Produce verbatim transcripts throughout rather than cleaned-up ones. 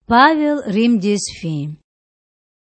Павел Римдиз фин.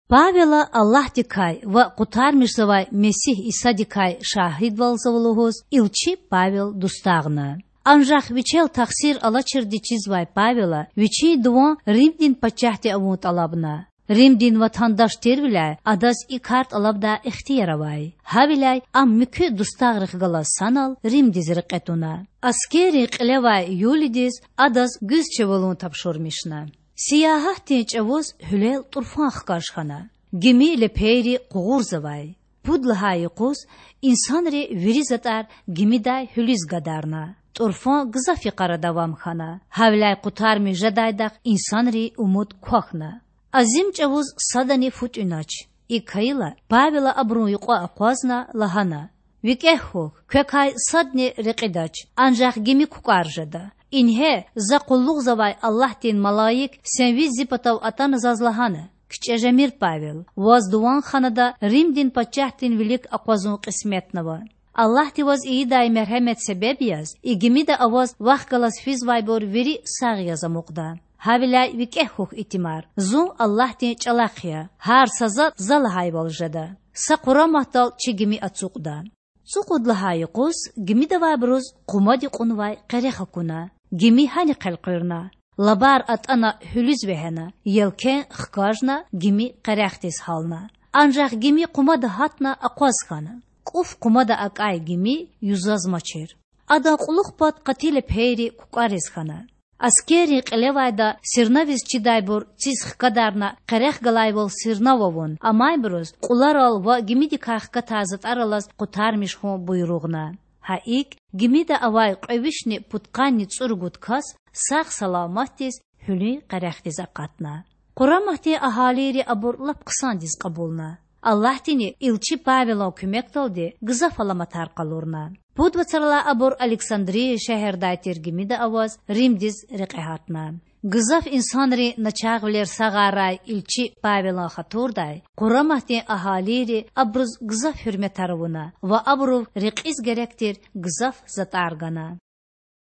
Павела Аллагьдикай ва Къутармишзавай Месигь Исадикай шагьидвалзава лугьуз илчи Павел дустагъна. Анжах вичел тахсир алачирди чизвай Павела вичин дуван Римдин пачагьди авун тӀалабна. Римдин ватандаш тирвиляй адаз и кар тӀалабдай ихтияр авай. Гьавиляй ам муькуь дустагърихъ галаз санал Римдиз рекье туна. Аскеррин кьилевай Юлидиз адаз гуьзчивалун тапшурмишна. Сиягьатдин чӀавуз гьуьлел тӀурфан хкаж хьана. Гими лепейри къугъурзавай. Пуд лагьай юкъуз инсанри вири затӀар гимидай гьуьлуьз гадарна. ТӀурфан гзаф йикъара давам хьана, гьавиляй къутармиш жедайдахъ инсанрин умуд квахьна. Азим чӀавуз садани фу тӀуьнач. ИкӀ хьайила, Павела абурун юкьва акъвазна, лагьана: ВикӀегь хьухь, квекай садни рекьидач, анжах гими кукӀвар жеда. Ингье, за къуллугъзавай Аллагьдин малаик сенвиз зи патав атана заз лагьана: КичӀе жемир, Павел, ваз дуван ханада Римдин пачагьдин вилик акъвазун кьисметнава. Аллагьди ваз ийидай мергьемет себеб яз и гимида аваз вахъ галаз физвайбур вири сагъ яз амукьда. Гьавиляй викӀегь хьухь, итимар, зун Аллагьдин чӀалахъ я, гьар са затӀ за лагьайвал жеда. Са къураматдал чи гими ацукьда. Цукьуд лагьай юкъуз гимидавайбуруз къумади кьунвай къерех акуна. Гими гьанихъ элкъуьрна. Лабар атӀана гьуьлуьз вегьена, елкен хкажна, гими къерехдиз гьална. Анжах гими къумада гьатна акъваз хьана. КӀуф къумада акӀай гими юзазмачир. Адан кьулухъ пад къати лепейри кукӀвариз хьана. Аскеррин кьилевайда сирнавиз чидайбур циз хкадарна къерех галайвал сирнав авун, амайбуруз кьуларал ва гимидикай хкатай затӀар алаз къутармиш хьун буйругъна. Гьа икӀ, гимида авай кьве вишни пудкъанни цӀуругуд кас сагъ-саламатдиз гьуьлуьн къерехдиз акъатна. Къураматдин агьалийри абур лап хъсандиз кьабулна. Аллагьдини илчи Павелан куьмекдалди гзаф аламатар къалурна. Пуд вацралай абур Александрия шегьердай тир гимида аваз Римдиз рекье гьатна. Гзаф инсанрин начагъвилер сагъарай илчи Павелан хатурдай къураматдин агьалийри абуруз гзаф гьуьрметар авуна ва абурув рекьиз герек тир гзаф затӀар гана.